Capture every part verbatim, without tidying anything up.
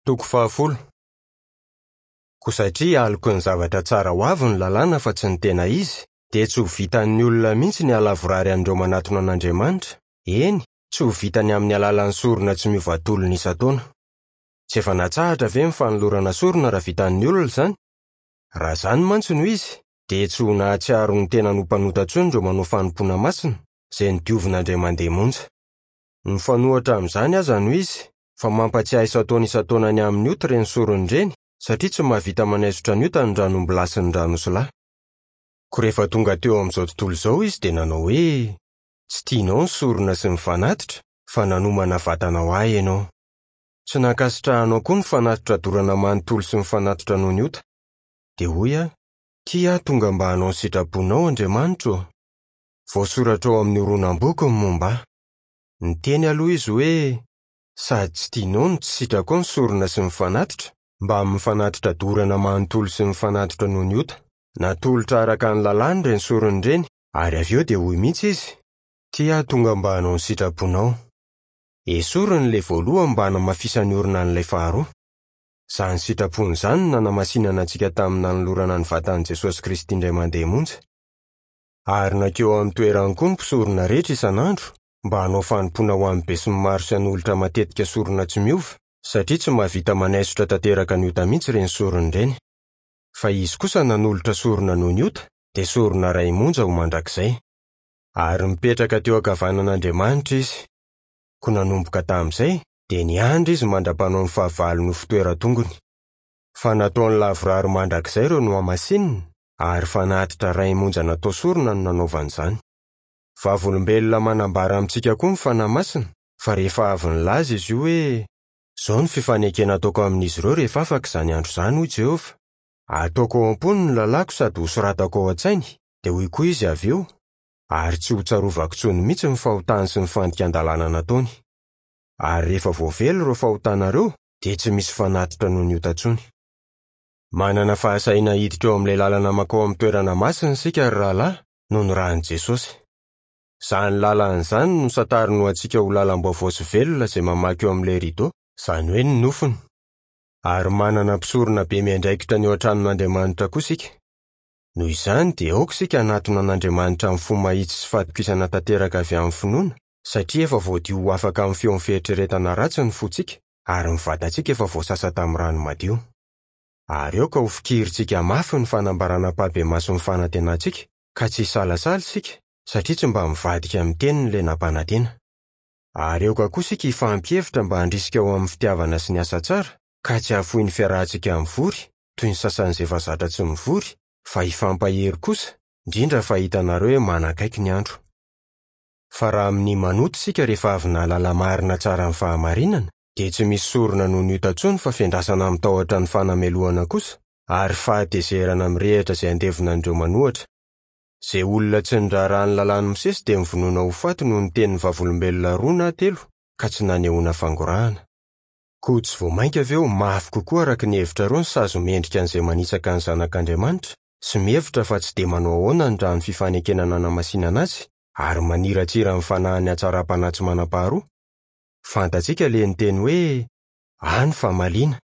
Toko fahafolo. Koa satria aloky ny zavatra tsara ho avy ny lalàna fa tsy ny tena izy, dia tsy ho vitan'ny olona mihitsy ny halavorary an'ireo manatona an'Andriamanitra, eny, tsy ho vitany amin'ny alalan'ny sorona tsy miova tolona isan-taona. Tsy efa natsahatra ve ny fanolorana sorona raha vitan'ny olona izany? Raha izany mantsy no izy, dia tsy ho nahatsiaro ny tenany ho mpanota intsony ireo manao fanompoana masina, izay nodiovina indray mandeha monja. Mifanohitra amin'izany aza no izy, fa mampatsiahy isan-taona isan-taona ny amin'ny ota ireny sorona ireny, satria tsy mahavita manaisotra ny ota ny ran'ombilahy sy ny ran'osilahy. Koa rehefa tonga teo amin'izao tontolo izao izy dia nanao hoe: "Tsy tianao ny sorona sy ny fanatitra, fa nanomana vatana ho ahy ianao. Tsy nankasitrahanao koa ny fanatitra dorana manontolo sy ny fanatitra noho ny ota." Dia hoy aho: "Tia aho tonga mba hanao ny sitraponao, Andriamanitra ô. Voasoratra ao amin'ny horonam-boky ny momba ahy." Niteny aloha izy hoe: "Sady tsy tianao no tsy sitrakao ny sorona sy ny fanatitra, mbamin'ny fanatitra dorana manontolo sy ny fanatitra noho ny ota. Natolotra araka ny lalàna ireny sorona ireny, ary avy eo dia hoy mihitsy izy: Tia aho tonga mba hanao ny sitraponao. Esoriny ilay voalohany mba hanamafisany orina an'ilay faharoa. Izany sitrapony izany no nanamasinana antsika tamin'ny nanolorana ny vatan'i Jesosy Kristy indray mandeha monja. Ary nankeo amin'ny toerany koa ny mpisorona rehetra isan'andro mba hanao fanompoana ho an'ny besinimaro sy hanolotra matetika sorona tsy miova, satria tsy mahavita manaisotra tanteraka ny ota mihitsy ireny sorona ireny. Fa izy kosa nanolotra sorona noho ny ota, dia sorona iray monja ho mandrakizay. Ary mipetraka teo ankavanan'Andriamanitra izy. Koa nanomboka tamin'izay, dia niandry izy mandra-panao ny fahavalony ho fitoeran-tongony. Fa nataony lavorary mandrakizay ireo nohamasinina, ary fanatitra iray monja natao sorona no nanaovany izany. Vavolombelona manambara amintsika koa ny Fanahy Masina, fa rehefa avy nilaza izy io hoe: "Izao ny fifanekena ataoko amin'izy ireo rehefa afaka izany andro izany, hoy Jehovah. Ataoko ao am-pony ny lalàko sady hosoratako ao an-tsainy," dia hoy koa izy avy eo: "Ary tsy ho tsarovako intsony mihitsy ny fahotany sy ny fandikan-dalàna nataony. Ary rehefa voavela ireo fahotanareo, dia tsy misy fanatitra noho ny ota intsony." Manana fahasahiana hiditra eo amin'ilay lalana mankao amin'ny toerana masina isika, ry rahalahy, noho ny ran'i Jesosy. Izany lalana izany no santariny ho antsika ho lalam-baovao sy velona izay mamaky eo amin'ilay rideau, izany hoe ny nofony. Ary manana mpisorona be miandraikitra ny eo an-tranon'Andriamanitra koa isika. Noho izany dia aoka isika hanatona an'Andriamanitra amin'ny fo mahitsy sy fatokisana tanteraka avy amin'ny finoana, satria efa voadio ho afaka amin'ny feon'ny fieritreretana ratsy ny fontsika, ary ny vatantsika efa voasasa tamin'ny rano madio. Ary aoka ho fikirintsika mafy ny fanambarana ampahibemaso ny fanantenantsika, ka tsy hisalasala isika, satria tsy mba mivadika amin'ny teniny ilay nampanantena. Ary aoka koa isika hifampihevitra mba handrisika ho amin'ny fitiavana sy ny asa tsara, ka tsy hahafoy ny fiarahantsika mivory, toy ny sasany izay efa zatra tsy mivory, fa hifampahery kosa, indrindra fa hitanareo hoe manakaiky ny andro. Fa raha amin'ny manota isika rehefa avy nahalala marina tsara ny fahamarinana, dia tsy misy sorona noho ny ota intsony fa fiandrasana amin'ny tahotra ny fanamelohana kosa, ary fahatezerana mirehitra izay andevona an'ireo manohitra. Izay olona tsy niraharaha ny lalàn'i Mosesy dia novonoina ho faty noho ny tenin'ny vavolombelona roa na telo, ka tsy nanehoana fangorahana. Koa tsy vao mainka avy eo mafy kokoa araka ny hevitrareo ny sazy mendrika an'izay manitsaka ny Zanak'Andriamanitra sy mihevitra fa tsy dia manao ahoana ny rano fifanekena nanamasinana azy ary maniratsira ny fanahin'ny hatsaram-panahy tsy manam-paharoa? Fantatsika ilay niteny hoe: "Ahy ny famaliana,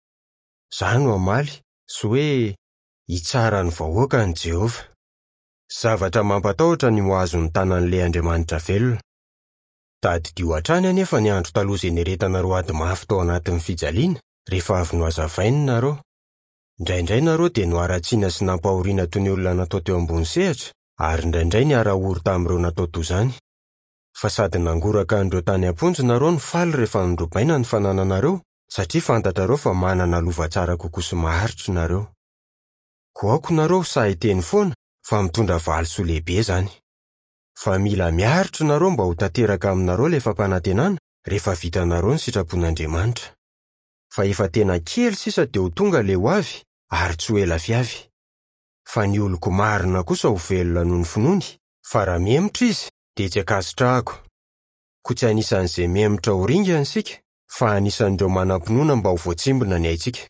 izaho no hamaly," sy hoe: "Hitsara ny vahoaka ny Jehovah." Zavatra mampatahotra ny ho azon'ny tanan'ilay Andriamanitra velona. Tadidio hatrany anefa ny andro taloha izay niaretanareo ady mafy tao anatin'ny fijaliana, rehefa avy nohazavainy nareo. Indraindray nareo dia noharatsiana sy nampahoriana toy ny olona natao teo ambony sehatra, ary indraindray niara-ory tamin'ireo natao toy izany. Fa sady nangoraka an'ireo tany am-ponja nareo no faly rehefa norobaina ny fanananareo, satria fantatrareo fa manana lova tsara kokoa sy maharitra nareo. Koa aoka nareo sahy hiteny foana fa mitondra valisoa lehibe izany. Fa mila miaritra nareo mba ho tanteraka aminareo ilay fampanantenana rehefa vitanareo ny sitrapon'Andriamanitra. Fa efa tena kely sisa dia ho tonga ilay ho avy, ary tsy ho ela fiavy. Fa ny oloko marina kosa ho velona noho ny finoany, fa raha mihemotra izy dia tsy ankasitrahako. Koa tsy anisan'izay mihemotra ho ringana isika, fa anisan'ireo manam-pinoana mba ho voatsimbina ny aintsika.